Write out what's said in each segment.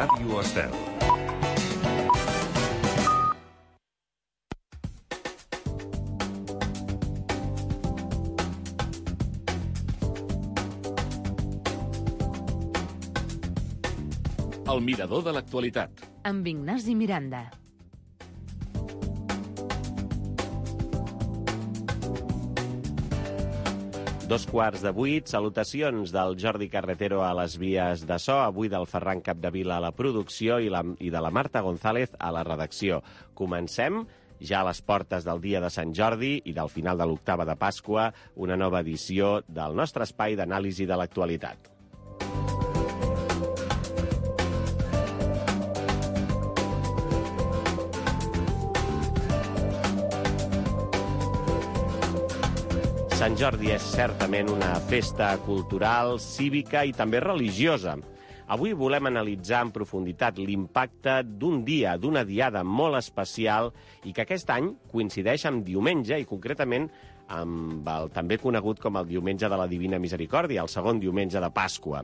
Ràdio Estel. El mirador de l'actualitat. Amb Ignasi Miranda. Dos quarts de 8, salutacions del Jordi Carretero a les vies de so, avui del Ferran Capdevila a la producció i de la Marta González a la redacció. Comencem ja a les portes del dia de Sant Jordi i del final de l'octava de Pasqua, una nova edició del nostre espai d'anàlisi de l'actualitat. Sant Jordi és certament una festa cultural, cívica i també religiosa. Avui volem analitzar en profunditat l'impacte d'un dia, d'una diada molt especial i que aquest any coincideix amb diumenge i concretament amb el també conegut com el Diumenge de la Divina Misericòrdia, el segon diumenge de Pasqua.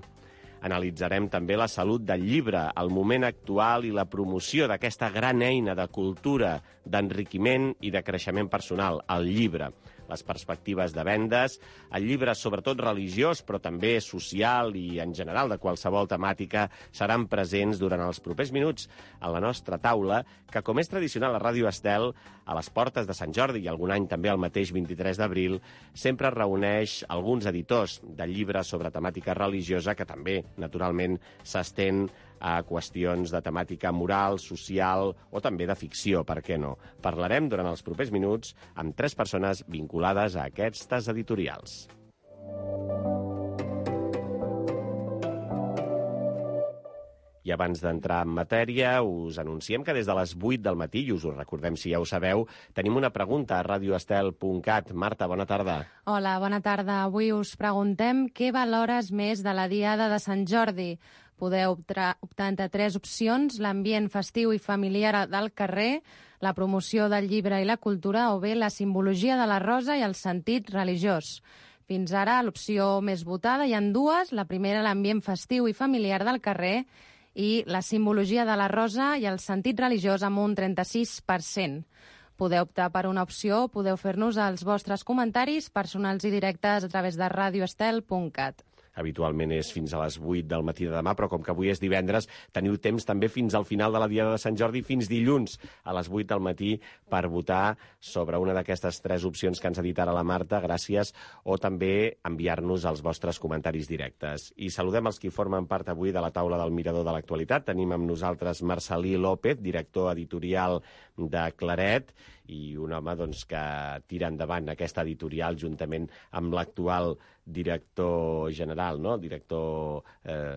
Analitzarem també la salut del llibre, el moment actual i la promoció d'aquesta gran eina de cultura, d'enriquiment i de creixement personal, el llibre. Les perspectives de vendes, el llibre sobretot religiós, però també social i en general de qualsevol temàtica, seran presents durant els propers minuts a la nostra taula, que com és tradicional a Ràdio Estel, a les portes de Sant Jordi i algun any també el mateix 23 d'abril, sempre reuneix alguns editors de llibres sobre temàtica religiosa que també, naturalment, s'estén a qüestions de temàtica moral, social o també de ficció, per què no? Parlarem durant els propers minuts amb 3 persones vinculades a aquestes editorials. I abans d'entrar en matèria, us anunciem que des de les 8 del matí, i us ho recordem si ja ho sabeu, tenim una pregunta a radioestel.cat. Marta, bona tarda. Hola, bona tarda. Avui us preguntem què valores més de la Diada de Sant Jordi. Podeu optar entre 3 opcions, l'ambient festiu i familiar del carrer, la promoció del llibre i la cultura o bé la simbologia de la rosa i el sentit religiós. Fins ara, l'opció més votada hi ha 2, la primera l'ambient festiu i familiar del carrer i la simbologia de la rosa i el sentit religiós amb un 36%. Podeu optar per una opció, podeu fer-nos els vostres comentaris personals i directes a través de radioestel.cat. Habitualment és fins a les 8 del matí de demà, però com que avui és divendres, teniu temps també fins al final de la Diada de Sant Jordi, fins dilluns a les 8 del matí, per votar sobre una d'aquestes 3 opcions que ens ha dit ara la Marta, gràcies, o també enviar-nos els vostres comentaris directes. I saludem els qui formen part avui de la taula del Mirador de l'Actualitat. Tenim amb nosaltres Marcelí López, director editorial de Claret, i un home que tira endavant aquesta editorial juntament amb l'actual director general, no? Director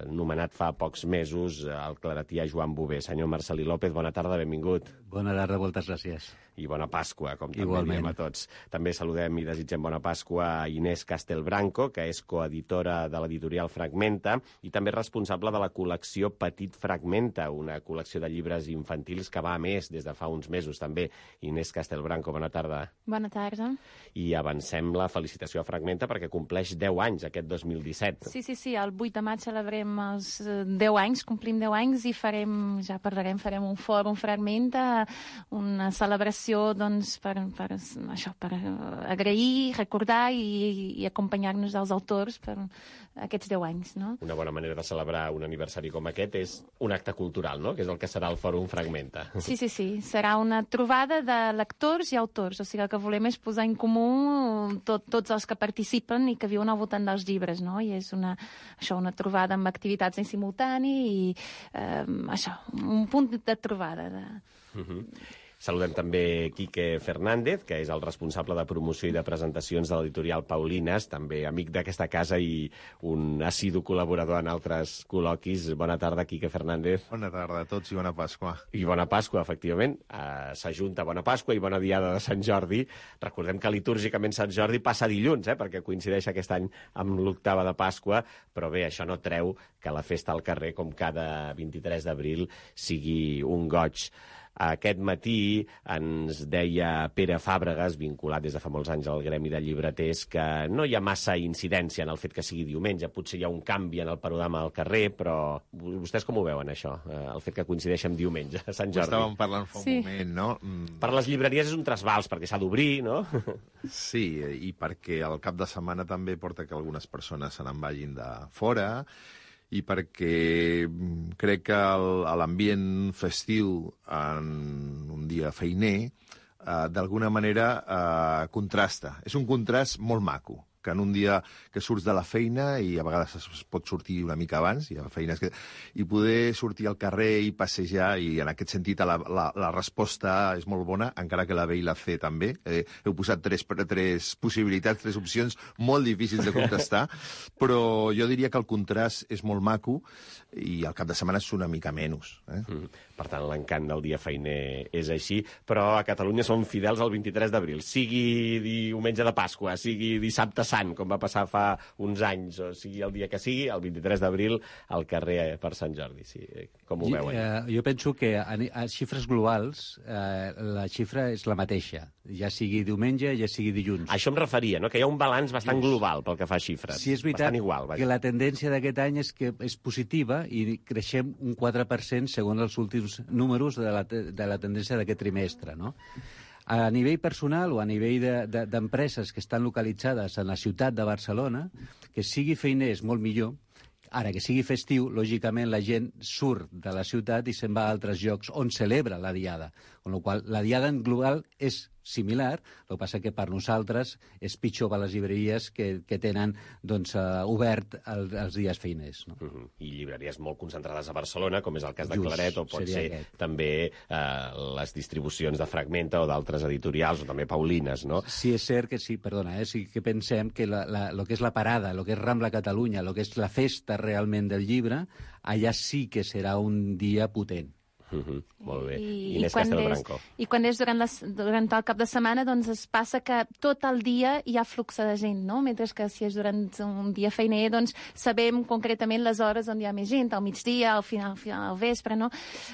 nomenat fa pocs mesos, el claretià Joan Bové. Senyor Marcelí López, bona tarda, benvingut. Bona tarda, moltes gràcies. I bona Pasqua, com també Igualment. diem a tots. També saludem i desitgem bona Pasqua a Inés Castelbranco, que és coeditora de l'editorial Fragmenta i també responsable de la col·lecció Petit Fragmenta, una col·lecció de llibres infantils que va a més des de fa uns mesos també. Inés Castelbranco, bona tarda. Bona tarda. I avancem la felicitació a Fragmenta perquè compleix 10 anys aquest 2017. Sí, el 8 de maig celebrem els 10 anys, complim 10 anys i farem un fòrum Fragmenta, una celebració per agrair, recordar i acompanyar-nos dels autors per aquests 10 anys. No? Una bona manera de celebrar un aniversari com aquest és un acte cultural, no? Que és el que serà el fòrum Fragmenta. Sí, serà una trobada de lectors i autors, o sigui, el que volem és posar en comú tots els que participen i que viuen al voltant dels llibres, no? I és una trobada amb activitats en simultani i un punt de trobada. Saludem també Quique Fernández, que és el responsable de promoció i de presentacions de l'editorial Paulines, també amic d'aquesta casa i un assidu col·laborador en altres col·loquis. Bona tarda, Quique Fernández. Bona tarda a tots i bona Pasqua. I bona Pasqua, efectivament. S'ajunta bona Pasqua i bona Diada de Sant Jordi. Recordem que litúrgicament Sant Jordi passa dilluns, perquè coincideix aquest any amb l'octava de Pasqua, però bé, això no treu que la festa al carrer, com cada 23 d'abril, sigui un goig. Aquest matí ens deia Pere Fàbregas, vinculat des de fa molts anys al gremi de llibreters, que no hi ha massa incidència en el fet que sigui diumenge. Potser hi ha un canvi en el panorama al carrer, però vostès com ho veuen, això? El fet que coincideix amb diumenge, a Sant Jordi. Ho estàvem parlant fa un moment, no? Per les llibreries és un trasbals, perquè s'ha d'obrir, no? Sí, i perquè el cap de setmana també porta que algunes persones se n'en vagin de fora, i perquè crec que l'ambient festiu en un dia feiner d'alguna manera contrasta. És un contrast molt maco, que en un dia que surts de la feina i a vegades es pot sortir una mica abans, hi ha feines que... i poder sortir al carrer i passejar, i en aquest sentit la resposta és molt bona, encara que la B i la C també. Heu posat tres possibilitats, tres opcions molt difícils de contestar, però jo diria que el contrast és molt maco i al cap de setmana és una mica menys. Per tant, l'encant del dia feiner és així, però a Catalunya som fidels al 23 d'abril, sigui diumenge de Pasqua, sigui dissabte Sant, com va passar fa uns anys, o sigui el dia que sigui, el 23 d'abril al carrer per Sant Jordi. Sí, com ho veuen? Jo penso que a xifres globals la xifra és la mateixa, ja sigui diumenge, ja sigui dilluns. A això em referia, no? Que hi ha un balanç bastant global pel que fa a xifres. Sí, és veritat igual, que la tendència d'aquest any és que és positiva i creixem un 4% segons els últims números de la tendència d'aquest trimestre, no? A nivell personal o a nivell d'empreses que estan localitzades en la ciutat de Barcelona, que sigui feiner és molt millor. Ara, que sigui festiu, lògicament la gent surt de la ciutat i se'n va a altres llocs on celebra la diada. Amb la qual la diada en global és similar, el que passa que per nosaltres és pitjor per les llibreries que tenen obert els dies feiners. No? I llibreries molt concentrades a Barcelona, com és el cas de Claret, o pot ser també les distribucions de Fragmenta o d'altres editorials, o també Paulines, no? Sí, és cert que sí, perdona, sí que pensem que el que és la parada, el que és Rambla Catalunya, el que és la festa realment del llibre, allà sí que serà un dia potent. Molt bé. Inés Castelbranco. I quan és durant el cap de setmana, doncs es passa que tot el dia hi ha flux de gent, no? Mentre que si és durant un dia feiner, doncs sabem concretament les hores on hi ha més gent, al migdia, al final, al vespre, no?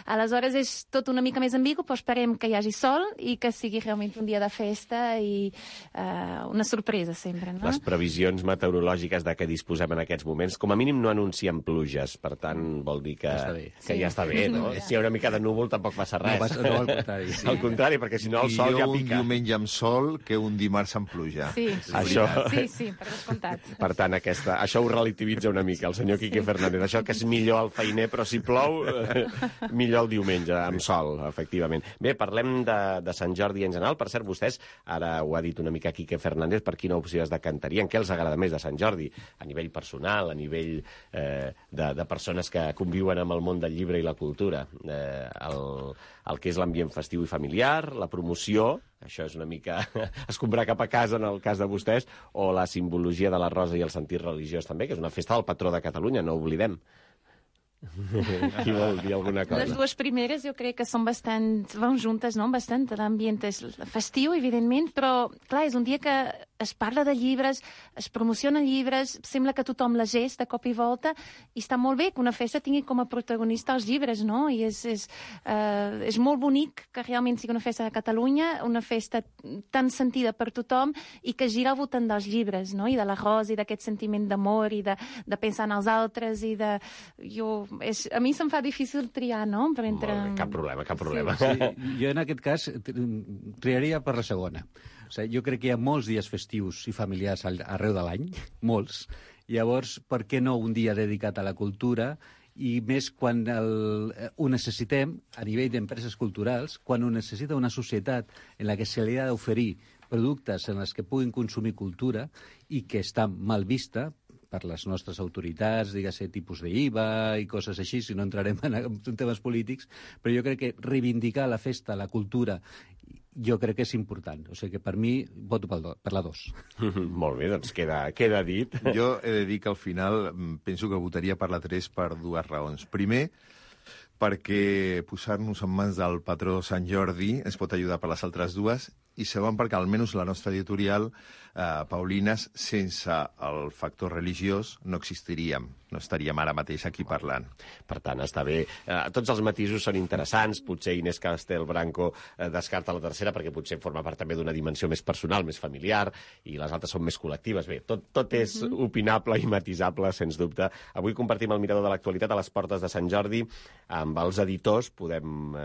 Aleshores és tot una mica més ambigu, però esperem que hi hagi sol i que sigui realment un dia de festa i una sorpresa sempre, no? Les previsions meteorològiques de què disposem en aquests moments, com a mínim no anuncien pluges, per tant vol dir que ja està bé, no? Si hi ha una mica de núvol tampoc passa res. No, al contrari. Sí. Al contrari, perquè si no el sol ja pica. Un diumenge amb sol que un dimarts amb pluja. Sí, per descomptat. Per tant, això ho relativitza una mica el senyor Quique Fernández. Això que és millor el feiner, però si plou, millor el diumenge, amb sol, efectivament. Bé, parlem de Sant Jordi en general. Per cert, vostès, ara ho ha dit una mica Quique Fernández, per quina opció es decantarien? Què els agrada més de Sant Jordi? A nivell personal, a nivell de persones que conviuen amb el món del llibre i la cultura. El que és l'ambient festiu i familiar, la promoció, això és una mica escombrar cap a casa en el cas de vostès, o la simbologia de la rosa i el sentit religiós també, que és una festa del patró de Catalunya, no ho oblidem. Qui vol dir alguna cosa? Les dues primeres jo crec que van juntes, no? Bastant, l'ambient és festiu, evidentment, però, clar, és un dia que es parla de llibres, es promocionen llibres, sembla que tothom llegeix de cop i volta, i està molt bé que una festa tingui com a protagonista els llibres, no? I és molt bonic que realment sigui una festa de Catalunya, una festa tan sentida per tothom i que gira al voltant dels llibres, no? I de l'arròs, i d'aquest sentiment d'amor, i de pensar en els altres, i de... A mi se'm fa difícil triar, no? Molt bé, cap problema. Sí, jo en aquest cas triaria per la segona. O sigui, jo crec que hi ha molts dies festius i familiars arreu de l'any, molts. Llavors, per què no un dia dedicat a la cultura, i més quan ho necessitem a nivell d'empreses culturals, quan ho necessita una societat en la que se li ha d'oferir productes en els que puguin consumir cultura i que està mal vista per les nostres autoritats, diguem-ne, tipus d'IVA i coses així, si no entrarem en temes polítics, però jo crec que reivindicar la festa, la cultura, jo crec que és important. O sigui que per mi voto per la 2. Molt bé, doncs queda dit. Jo he de dir que al final penso que votaria per la 3 per dues raons. Primer, perquè posar-nos en mans del patró Sant Jordi ens pot ajudar per les altres dues, i segon perquè almenys la nostra editorial, Paulines, sense el factor religiós no existiríem. no estaríem ara mateix aquí parlant. Per tant, està bé. Tots els matisos són interessants. Potser Inés Castelbranco descarta la tercera perquè potser forma part també d'una dimensió més personal, més familiar, i les altres són més col·lectives. Bé, tot és opinable i matisable, sens dubte. Avui compartim el mirador de l'actualitat a les portes de Sant Jordi. Amb els editors podem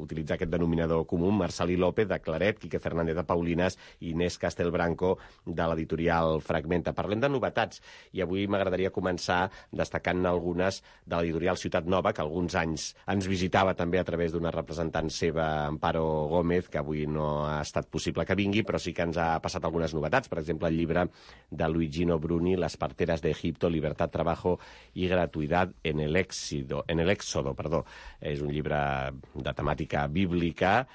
utilitzar aquest denominador comú: Marcelí López, de Claret, Quique Fernández, de Paulines, i Inés Castelbranco, de l'editorial Fragmenta. Parlem de novetats, i avui m'agradaria començar destacant algunes de l'editorial Ciutat Nova, que alguns anys ens visitava també a través d'una representant seva, Amparo Gómez, que avui no ha estat possible que vingui, però sí que ens ha passat algunes novetats. Per exemple, el llibre de Luigino Bruni, Las parteras de Egipto, Libertad, Trabajo y Gratuidad en el Éxodo. És un llibre de temàtica bíblica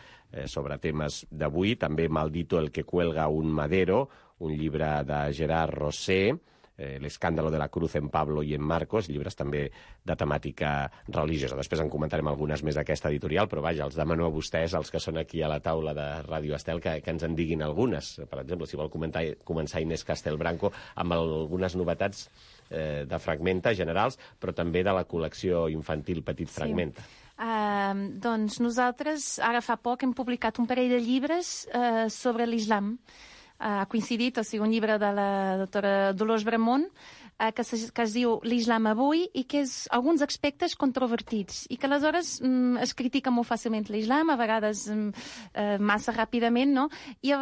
sobre temes d'avui. També Maldito el que cuelga un madero, un llibre de Gerard Rosé, El escándalo de la cruz en Pablo i en Marcos, llibres també de temàtica religiosa. Després en comentarem algunes més d'aquesta editorial, però vaja, els demano a vostès, els que són aquí a la taula de Ràdio Estel, que ens en diguin algunes. Per exemple, si vol començar Inés Castelbranco amb algunes novetats de Fragmenta generals, però també de la col·lecció infantil Petit Fragmenta. Doncs nosaltres ara fa poc hem publicat un parell de llibres sobre l'islam. Ha coincidit, o sigui, un llibre de la doctora Dolors Bramont, que es diu L'Islam avui, i que és alguns aspectes controvertits, i que aleshores es critica molt fàcilment l'Islam, a vegades massa ràpidament, no? I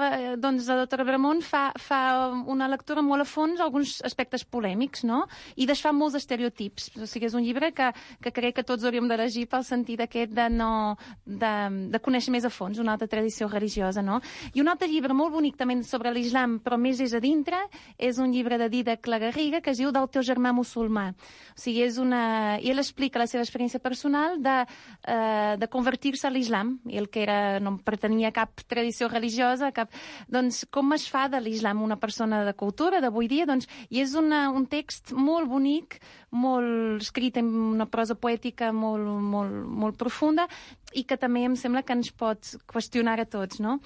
doncs la doctora Bramont fa una lectura molt a fons, alguns aspectes polèmics, no? I desfà molts estereotips. O sigui, és un llibre que crec que tots hauríem de llegir pel sentit aquest de conèixer més a fons una altra tradició religiosa, no? I un altre llibre molt bonic també sobre l'Islam, però més és a dintre, és un llibre de Dídac Lagarriga que es diu Del teu germà musulmà. O sigui, i ell explica la seva experiència personal de convertir-se a l'Islam, i el que no pertanyia a cap tradició religiosa, doncs com es fa de l'Islam una persona de cultura d'avui dia, doncs, i és un text molt bonic, molt escrit en una prosa poètica molt profunda, i que també em sembla que ens pot qüestionar a tots, no?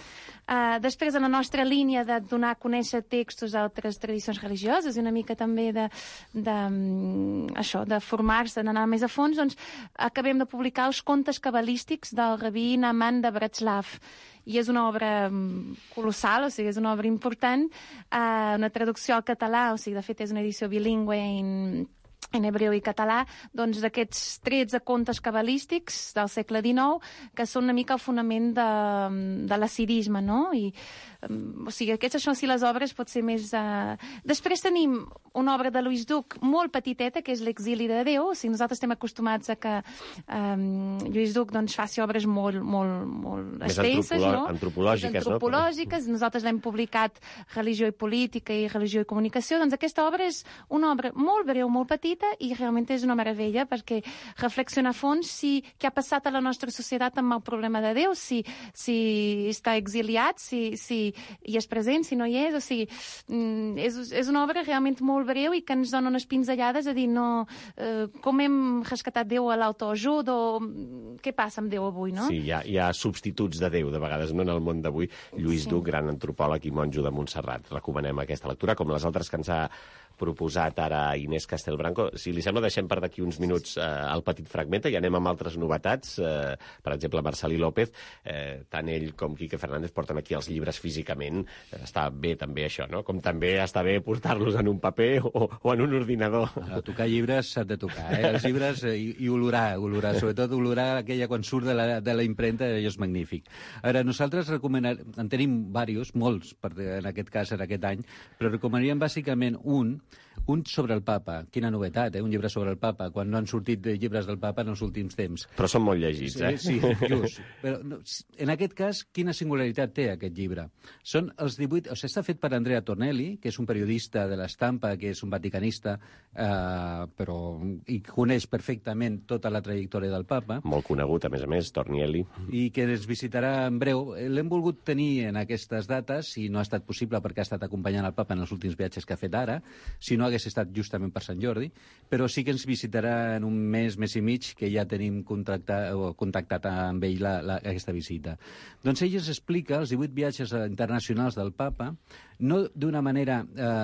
Després, en la nostra línia de donar a conèixer textos d'altres tradicions religioses i una mica també de formar-se, d'anar més a fons, doncs acabem de publicar els contes cabalístics del rabí Naaman de Bratslav. I és una obra colossal, o sigui, és una obra important, una traducció al català, o sigui, de fet és una edició bilingüe en hebreu i català, doncs d'aquests 13 contes cabalístics del segle XIX, que són una mica el fonament de l'acidisme, no? O sigui, aquestes són les obres potser més... Després tenim una obra de Lluís Duc molt petiteta, que és L'exili de Déu. O sigui, nosaltres estem acostumats a que Lluís Duc doncs, faci obres molt extenses, no? Antropològiques. Nosaltres l'hem publicat Religió i Política i Religió i Comunicació. Doncs aquesta obra és una obra molt breu, molt petita, i realment és una meravella, perquè reflexiona a fons què ha passat a la nostra societat amb el problema de Déu, si està exiliat, si hi és present, si no hi és. O sigui, és una obra realment molt breu i que ens dona unes pinzellades a dir com hem rescatat Déu a l'autoajut, o què passa amb Déu avui, no? Sí, hi ha substituts de Déu, de vegades, no en el món d'avui. Lluís Duc, gran antropòleg i monjo de Montserrat. Recomanem aquesta lectura, com les altres que ens ha proposat ara Inés Castelbranco. Si li sembla, deixem per d'aquí uns minuts el Petit Fragmenta i anem amb altres novetats. Per exemple, Marcelí López, tant ell com Quique Fernández porten aquí els llibres físicament. Està bé també això, no? Com també està bé portar-los en un paper o en un ordinador. A tocar llibres s'ha de tocar, els llibres, i olorar, sobretot olorar aquella quan surt de la impremta, allò és magnífic. Ara, nosaltres en tenim diversos, molts, en aquest cas, en aquest any, però recomanaríem bàsicament un sobre el papa. Quina novetat, un llibre sobre el papa, quan no han sortit llibres del papa en els últims temps. Però són molt llegits, Sí, just. Però en aquest cas, quina singularitat té aquest llibre? Són els 18... O sigui, està fet per Andrea Tornelli, que és un periodista de l'Estampa, que és un vaticanista, i coneix perfectament tota la trajectòria del papa. Molt conegut, a més, Tornelli. I que ens visitarà en breu. L'hem volgut tenir en aquestes dates, i no ha estat possible perquè ha estat acompanyant el papa en els últims viatges que ha fet ara. Si no hagués hagués estat justament per Sant Jordi, però sí que ens visitarà en un mes i mig, que ja tenim contactat amb ell aquesta visita. Doncs ell ens explica els 18 viatges internacionals del Papa, no d'una manera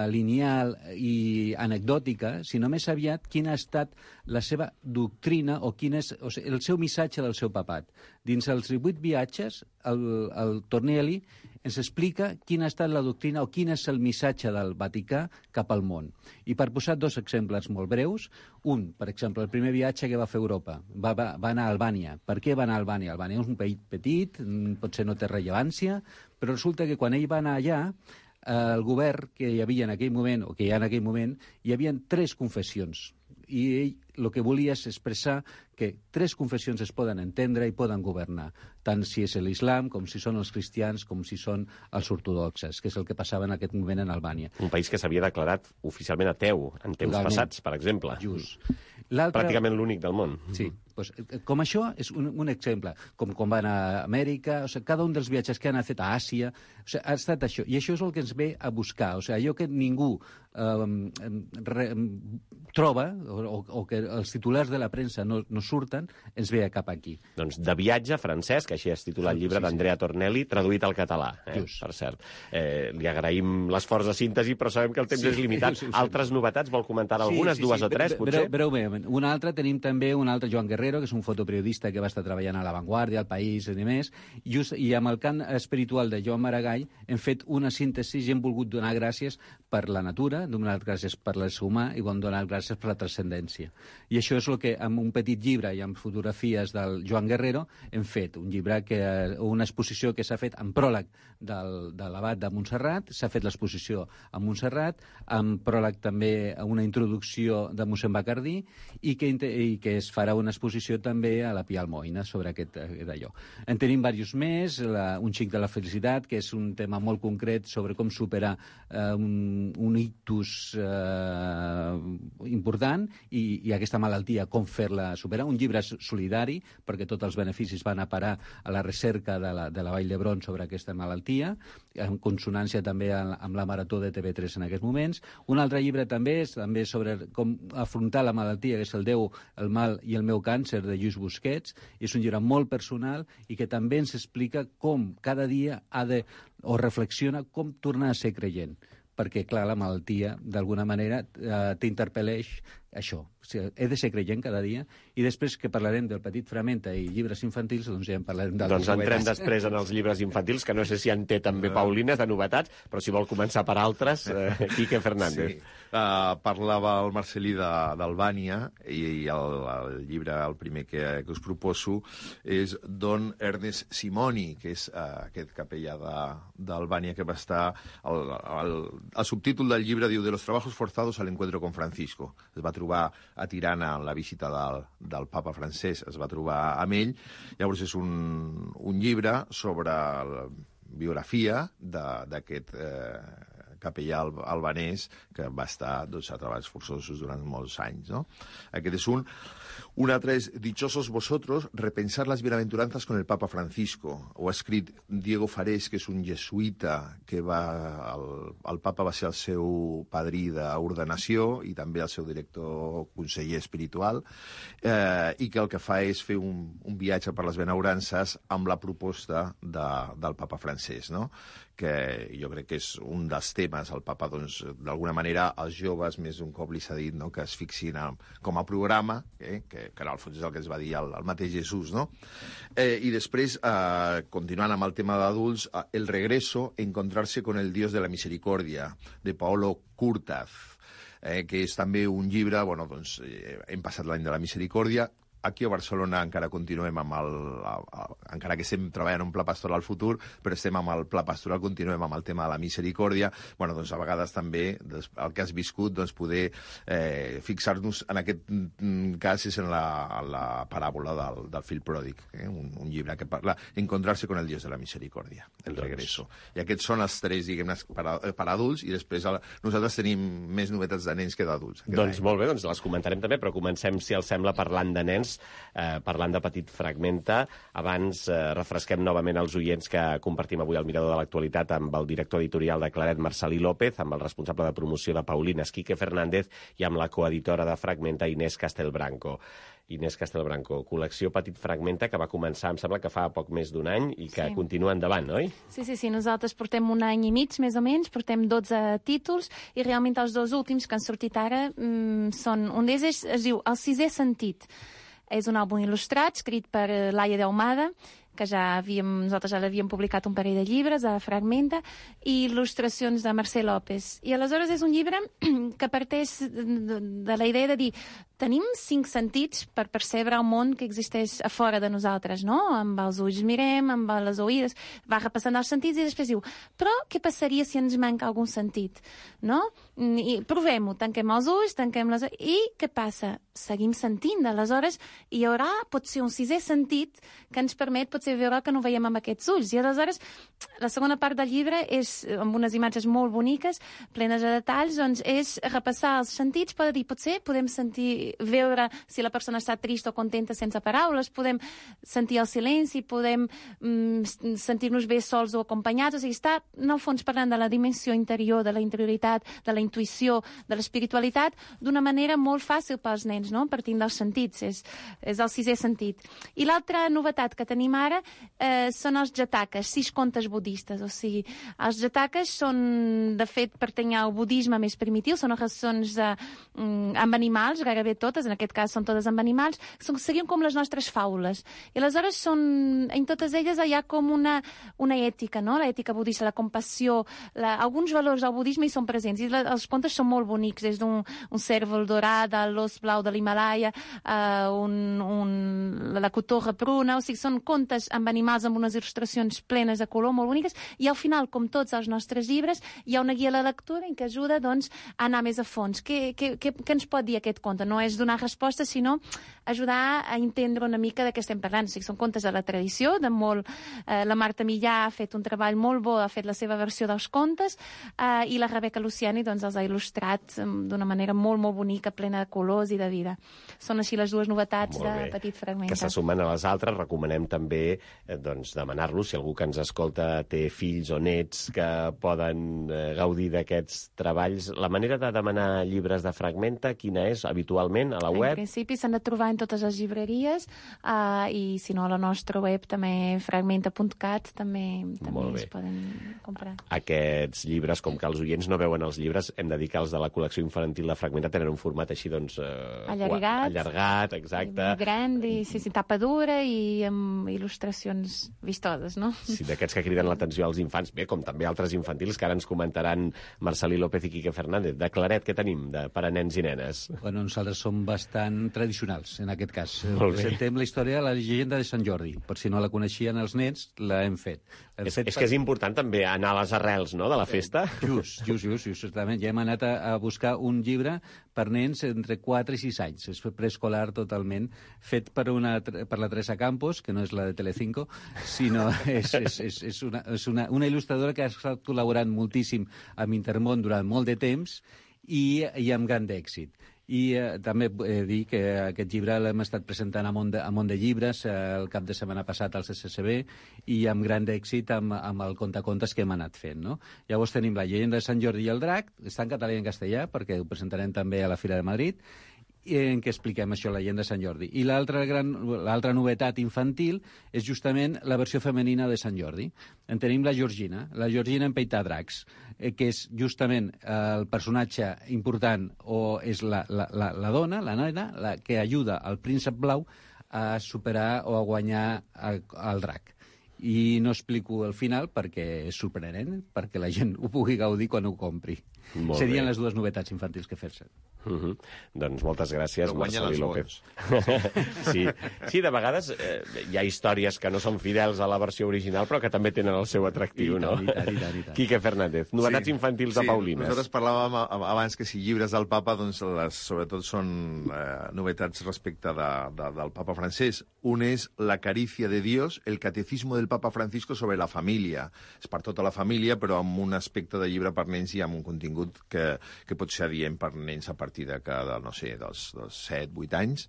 lineal i anecdòtica, sinó més aviat quina ha estat la seva doctrina o quin és el seu missatge del seu papat. Dins els 18 viatges, el Tornielli ens explica quina ha estat la doctrina o quin és el missatge del Vaticà cap al món. I per posar 2 exemples molt breus, un, per exemple, el primer viatge que va fer a Europa, va anar a Albània. Per què va anar a Albània? Albània és un país petit, potser no té rellevància, però resulta que quan ell va anar allà, el govern que hi havia en aquell moment, o que hi ha en aquell moment, hi havia 3 confessions. I ell el que volia és expressar que 3 confessions es poden entendre i poden governar, tant si és l'islam, com si són els cristians, com si són els ortodoxes, que és el que passava en aquest moment en Albània. Un país que s'havia declarat oficialment ateu en temps passats, per exemple. Just. Pràcticament l'únic del món. Sí, doncs, com això és un exemple, com quan van a Amèrica, cada un dels viatges que han fet a Àsia, ha estat això, i això és el que ens ve a buscar, allò que ningú troba, o que els titulars de la premsa no surten, ens ve cap aquí. Doncs De viatge francès, que així es titula el llibre d'Andrea Tornelli, traduït al català, per cert. Li agraïm l'esforç de síntesi, però sabem que el temps és limitat. Altres novetats, vol comentar algunes, 2 o 3, potser? Breument. Tenim també un altre, Joan Guerrero, que és un fotoperiodista que va estar treballant a La Vanguardia, al País i demés, i amb el cant espiritual de Joan Maragall hem fet una síntesi i hem volgut donar gràcies per la natura, donar gràcies per l'ésser humà i vam donar gràcies per la transcendència. I això és el que, amb un petit llibre i amb fotografies del Joan Guerrero, hem fet un llibre, una exposició que s'ha fet en pròleg de l'abat de Montserrat, s'ha fet l'exposició a Montserrat, amb pròleg també una introducció de mossèn Bacardí, i que es farà una exposició també a la Pia Almoina sobre aquest d'allò. En tenim diversos més, un xic de la felicitat, que és un tema molt concret sobre com superar un ictus important i aquesta malaltia, com fer-la superar. Un llibre solidari, perquè tots els beneficis van a parar a la recerca de la Vall d'Hebron sobre aquesta malaltia, en consonància també amb la Marató de TV3 en aquests moments. Un altre llibre també és sobre com afrontar la malaltia, que és El Déu, el mal i el meu càncer, de Lluís Busquets. És un llibre molt personal i que també ens explica com cada dia reflexiona com tornar a ser creient. Perquè, clar, la malaltia, d'alguna manera, t'interpel·leix això. O sigui, he de ser creient cada dia, i després que parlarem del Petit Framenta i llibres infantils, doncs ja en parlarem d'altres novetats. Doncs entrem després en els llibres infantils, que no sé si en té també Paulina de novetats, però si vol començar per altres, Quique Fernández. Sí. Parlava el Marcelí d'Albània, i el llibre, el primer que us proposo, és Don Ernest Simoni, que és aquest capellà d'Albània que va estar... El subtítol del llibre diu «De los trabajos forzados al encuentro con Francisco». Es va trobar a Tirana en la visita del papa francès, es va trobar amb ell. Llavors és un llibre sobre la biografia d'aquest capellà albanès que va estar a treballs forçosos durant molts anys, no? Aquest és un. Un altre és Dichosos vosotros, repensar las bienaventuranzas con el Papa Francisco. Ho ha escrit Diego Farés, que és un jesuïta que el Papa va ser el seu padrí d'ordenació i també el seu director conseller espiritual, i que el que fa és fer un viatge per les benaurances amb la proposta del Papa francès, no? Que jo crec que és un dels temes. El Papa, doncs, d'alguna manera, als joves més d'un cop li s'ha dit, no?, que es fixin com a programa, que en el fons és el que es va dir el mateix Jesús, no? I després, continuant amb el tema d'adults, El regreso, encontrarse con el Dios de la misericordia, de Paolo Curtaz, que és també un llibre, bueno, doncs, hem passat l'any de la misericòrdia. Aquí a Barcelona encara continuem encara que estem treballant un pla pastoral futur, però estem amb el pla pastoral, continuem amb el tema de la misericòrdia. Bueno, doncs a vegades també el que has viscut, doncs poder fixar-nos en aquest cas és en la paràbola del fill pròdig, un llibre que parla Encontrarse con el Dios de la misericordia, El regreso. I aquests són els 3, diguem-ne, per adults, i després nosaltres tenim més novetats de nens que d'adults. Doncs molt bé, doncs les comentarem també, però comencem, si els sembla, parlant de nens. doncs, parlant de Petit Fragmenta, abans refresquem novament els oients que compartim avui al Mirador de l'Actualitat amb el director editorial de Claret, Marcelí López, amb el responsable de promoció de Paulines, Quique Fernández, i amb la coeditora de Fragmenta, Inés Castelbranco. Inés Castelbranco, col·lecció Petit Fragmenta, que va començar, em sembla que fa poc més d'un any i que continua endavant, oi? Sí, nosaltres portem un any i mig, més o menys, portem 12 títols, i realment els dos últims que han sortit ara són... Un d'ells es diu El sisè sentit. És un àlbum il·lustrat, escrit per Laia d'Ahumada, que nosaltres ja l'havíem publicat un parell de llibres, a Fragmenta, i il·lustracions de Mercè López. I aleshores és un llibre que parteix de la idea de dir tenim 5 sentits per percebre el món que existeix a fora de nosaltres, no? Amb els ulls mirem, amb les oïdes, va repassant els sentits i després diu, però què passaria si ens manca algun sentit, no? I provem-ho, tanquem els ulls, tanquem les... I què passa? Seguim sentint, aleshores hi haurà potser un 6è sentit que ens permet potser veure que no veiem amb aquests ulls. I aleshores la segona part del llibre és, amb unes imatges molt boniques, plenes de detalls, doncs és repassar els sentits, per dir, potser podem veure si la persona està trista o contenta sense paraules, podem sentir el silenci, podem sentir-nos bé sols o acompanyats, o sigui, està en el fons parlant de la dimensió interior, de la interioritat, de la intuïció, de l'espiritualitat, d'una manera molt fàcil pels nens, no? Partint dels sentits, és el 6è sentit. I l'altra novetat que tenim ara són els jatakas, 6 contes budistes, o sigui, els jatakas són, de fet, pertany al budisme més primitiu, són narracions amb animals, gairebé totes, en aquest cas són totes amb animals, serien com les nostres faules. I aleshores en totes elles hi ha com una ètica, no? L'ètica budista, la compassió, alguns valors del budisme hi són presents, i els contes són molt bonics, des d'un cèrvol dorat, l'os blau de l'Himalaya, la cotorra pruna, o sigui, són contes amb animals amb unes il·lustracions plenes de color, molt boniques, i al final, com tots els nostres llibres, hi ha una guia a la lectura que ajuda, doncs, a anar més a fons. Què ens pot dir aquest conte? No és donar resposta, sinó ajudar a entendre una mica de què estem parlant. O sigui, són contes de la tradició, la Marta Millà ha fet un treball molt bo, ha fet la seva versió dels contes, i la Rebeca Luciani doncs, els ha il·lustrat d'una manera molt, molt bonica, plena de colors i de vida. Són així les dues novetats de Petit Fragmenta. Que se sumen a les altres, recomanem també demanar-los, si algú que ens escolta té fills o nets que poden gaudir d'aquests treballs. La manera de demanar llibres de Fragmenta, quina és habitualment a la web? En principi s'han de trobar en totes les llibreries, i si no a la nostra web també fragmenta.cat també es poden comprar. Aquests llibres, com que els oients no veuen els llibres, hem de dir que els de la col·lecció infantil de Fragmenta tenen un format així, doncs... allargat, exacte. Gran, i tapa dura i amb il·lustracions vistoses, no? Sí, d'aquests que criden l'atenció als infants, bé, com també altres infantils, que ara ens comentaran Marcelí López i Quique Fernández. De Claret, què tenim per a nens i nenes? Bueno, nosaltres som bastant tradicionals, en aquest cas. Presentem la història de la llegenda de Sant Jordi. Per si no la coneixien els nens, l'hem fet. És que és important també anar a les arrels, no?, de la festa. Justament. Ja hem anat a buscar un llibre per nens entre 4 i 6 anys. És preescolar totalment, fet per la Teresa Campos, que no és la de Telecinco, sinó és una il·lustradora que ha estat col·laborant moltíssim amb Intermón durant molt de temps i amb gran èxit. I també he de dir que aquest llibre l'hem estat presentant a Mont de Llibres el cap de setmana passat al CCCB i amb gran èxit amb el contacontes que hem anat fent, no? Llavors tenim la llegenda de Sant Jordi i el drac, està en català i en castellà perquè ho presentarem també a la Fira de Madrid, en què expliquem això, la llegenda de Sant Jordi. I l'altra novetat infantil és justament la versió femenina de Sant Jordi. En tenim la Georgina en peitar dracs, que és justament el personatge important, o és la dona, la nena, la que ajuda al príncep blau a superar o a guanyar el drac. I no explico el final perquè és sorprenent, perquè la gent ho pugui gaudir quan ho compri. Serien les dues novetats infantils que fer-se. Doncs moltes gràcies, Marcelí López. Sí, de vegades hi ha històries que no són fidels a la versió original, però que també tenen el seu atractiu, no? I tant. Quique Fernández, novetats infantils de Paulines. Nosaltres parlàvem abans que si llibres del papa, doncs sobretot són novetats respecte del papa francès. Un és La caricia de Dios, el catecismo del papa Francisco sobre la família. És per tota la família, però amb un aspecte de llibre per nens i amb un contingut contingut que pot ser adient per nens a partir dels 7-8 anys,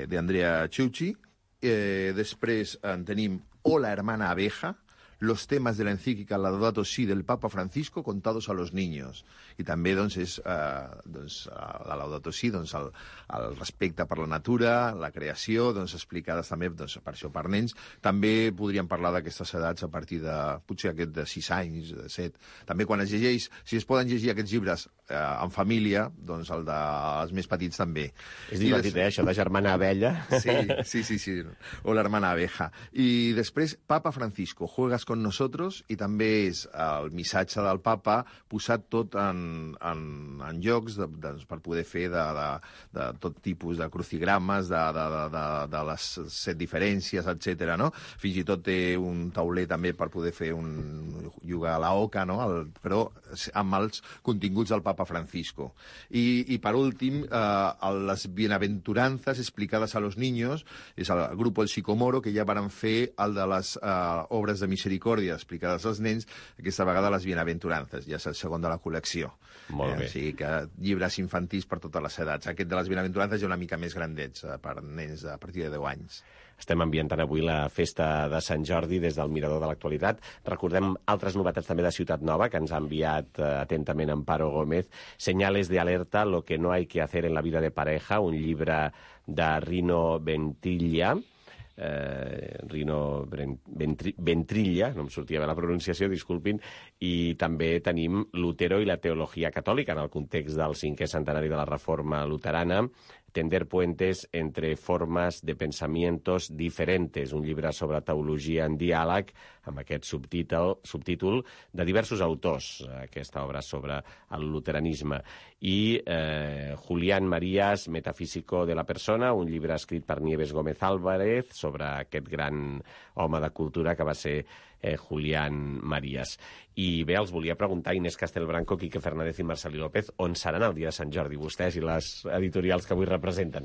d'Andrea Ciucci. Després en tenim Hola, hermana abeja, los temas de la encíclica Laudato Si del Papa Francisco contados a los niños. I també és la Laudato Si, el respecte per la natura, la creació, explicades també per això per nens. També podríem parlar d'aquestes edats a partir de, potser aquest de 6 anys, de 7. També quan es llegeix, si es poden llegir aquests llibres en família, el dels més petits també. És divertit, això de germana abella. Sí. O l'hermana abeja. I després, Papa Francisco, juegas con nosotros, i també és el missatge del papa posat tot en llocs per poder fer de tot tipus de crucigrames, de les 7 diferències, etc. No? Fins i tot té un tauler també per poder fer jugar a la oca, no? Però amb els continguts del papa Francisco. I per últim, les bienaventuranzas explicades a los niños, és el grup El Sicomoro, que ja van fer el de les obres de misericòrdia explicades als nens, aquesta vegada les bienaventurances, ja és el segon de la col·lecció. Molt bé. O sigui que llibres infantils per totes les edats. Aquest de les bienaventurances ja una mica més grandets, per nens a partir de 10 anys. Estem ambientant avui la festa de Sant Jordi des del Mirador de l'Actualitat. Recordem altres novetats també de Ciutat Nova, que ens ha enviat atentament Amparo Gómez. Señales de alerta, lo que no hay que hacer en la vida de pareja, un llibre de Rino Ventrilla, Ventrilla, no em sortia bé la pronunciació, disculpin, i també tenim Lutero i la teologia catòlica en el context del 5è centenari de la Reforma luterana, Tender puentes entre formas de pensamientos diferentes, un llibre sobre teologia en diàleg, amb aquest subtítol de diversos autors, aquesta obra sobre el luteranisme. I Julián Marías, Metafísico de la persona, un llibre escrit per Nieves Gómez Álvarez sobre aquest gran home de cultura que va ser Julián Marías. I bé, els volia preguntar, Inés Castelbranco, Quique Fernández i Marcelí López, on seran el dia de Sant Jordi, vostès i les editorials que avui representen?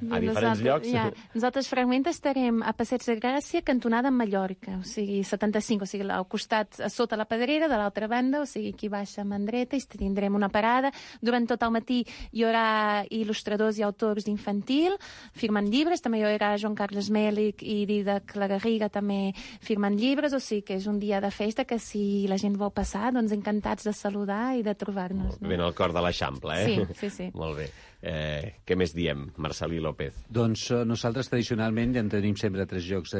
A diferents llocs? Nosaltres Fragment estarem a Passeig de Gràcia, cantonada en Mallorca, o sigui, 75, o sigui, al costat, a sota la Pedrera, de l'altra banda, o sigui, aquí baixa a Mandreta, i tindrem una parada. Durant tot el matí hi haurà il·lustradors i autors d'infantil firmant llibres, també hi haurà Joan Carles Mèlic i Dídac La Garriga també firmant llibres, o sigui que és un dia de festa que si la gent vol passar, doncs encantats de saludar i de trobar-nos. Ben al cor de l'Eixample, Sí. Molt bé. Què més diem, Marcelí López? Doncs nosaltres tradicionalment ja en tenim sempre 3 llocs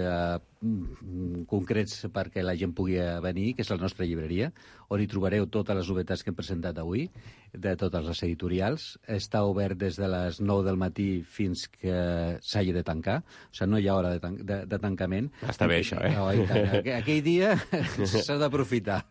concrets perquè la gent pugui venir, que és la nostra llibreria, on hi trobareu totes les novetats que hem presentat avui, de totes les editorials. Està obert des de les 9 del matí fins que s'hagi de tancar, o sigui, no hi ha hora de tancament. Està bé, això, No, aquell dia s'ha d'aprofitar.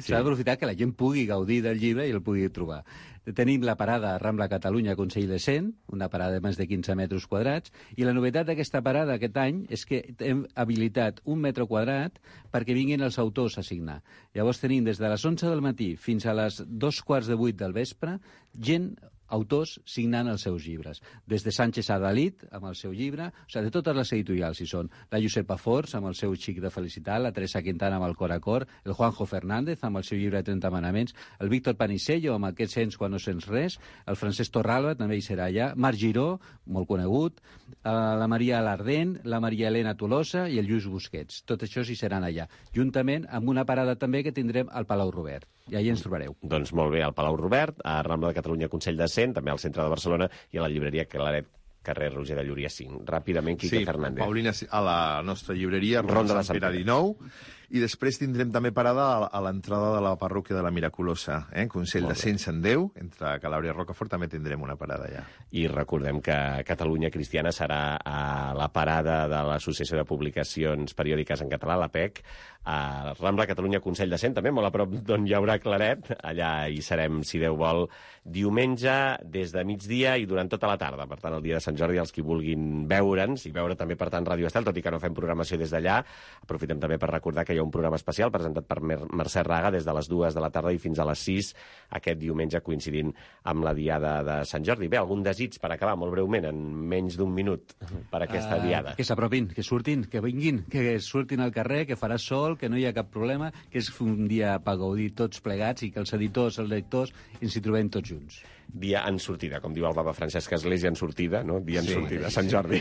S'ha d'aprofitar que la gent pugui gaudir del llibre i el pugui trobar. Tenim la parada Rambla Catalunya Consell de Cent, una parada de més de 15 metres quadrats, i la novetat d'aquesta parada aquest any és que hem habilitat 1 metre quadrat perquè vinguin els autors a signar. Llavors tenim des de les 11 del matí fins a les 7:45 del vespre gent, autors signant els seus llibres. Des de Sánchez Adalid, amb el seu llibre, o sigui, de totes les editorials hi són. La Josepa Forns, amb el seu Xic de Felicitat, la Teresa Quintana amb el Cor a Cor, el Juanjo Fernández, amb el seu llibre de 30 manaments, el Víctor Panisello, amb aquest Sents quan no sents res, el Francesc Torralba, també hi serà allà, Marc Giró, molt conegut, la Maria Alardent, la Maria Elena Tolosa i el Lluís Busquets. Tot això hi seran allà. Juntament amb una parada també que tindrem al Palau Robert. I allà ens trobareu. Doncs molt bé, al Palau Robert, a Rambla de Catalunya Consell de Cent, també al centre de Barcelona, i a la llibreria Claret, carrer Roger de Llúria 5. Ràpidament, Quique Fernández. Sí, Paulina, a la nostra llibreria, Ronda de Sant Pere 19, i després tindrem també parada a l'entrada de la parròquia de la Miraculosa, Consell de Cent Sant Déu, entre Calàbria i Rocafort, també tindrem una parada allà. I recordem que Catalunya Cristiana serà a la parada de l'Associació de Publicacions Periòdiques en Català, la PEC, a Rambla Catalunya Consell de Cent, també molt a prop d'on hi haurà Claret. Allà hi serem, si Déu vol, diumenge des de migdia i durant tota la tarda. Per tant, el dia de Sant Jordi, els qui vulguin veure'ns, i veure també, per tant, Ràdio Estel, tot i que no fem programació des d'allà, aprofitem també per recordar que hi un programa especial presentat per Mercè Raga des de les 2 de la tarda i fins a les 6 aquest diumenge coincidint amb la Diada de Sant Jordi. Bé, algun desig per acabar molt breument, en menys d'un minut, per aquesta Diada? Que s'apropin, que surtin, que vinguin, que surtin al carrer, que farà sol, que no hi ha cap problema, que és un dia per gaudir tots plegats i que els editors, els lectors, ens hi trobem tots junts. Dia en sortida, com diu el papa Francesc, església en sortida, no? Dia en sortida, Sant Jordi.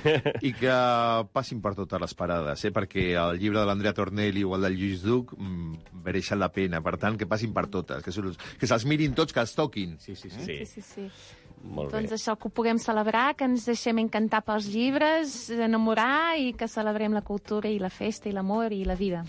I que passin per totes les parades, perquè el llibre de l'Andrea Tornelli o el del Lluís Duc mereixen la pena. Per tant, que passin per totes, que se'ls mirin tots, que els toquin. Sí. Molt bé. Doncs això, que ho puguem celebrar, que ens deixem encantar pels llibres, enamorar i que celebrem la cultura i la festa i l'amor i la vida.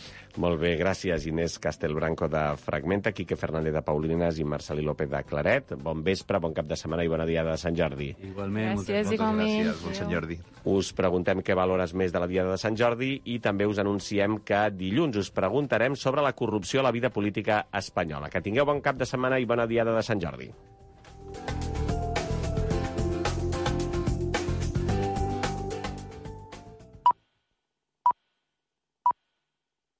Molt bé, gràcies Inés Castelbranco de Fragmenta, Quique Fernández de Paulines i Marcelí López de Claret. Bon vespre, bon cap de setmana i bona Diada de Sant Jordi. Igualment, Gràcies, Moltes igualment. gràcies, bon Sant Jordi. Us preguntem què valores més de la Diada de Sant Jordi i també us anunciem que dilluns us preguntarem sobre la corrupció a la vida política espanyola. Que tingueu bon cap de setmana i bona Diada de Sant Jordi.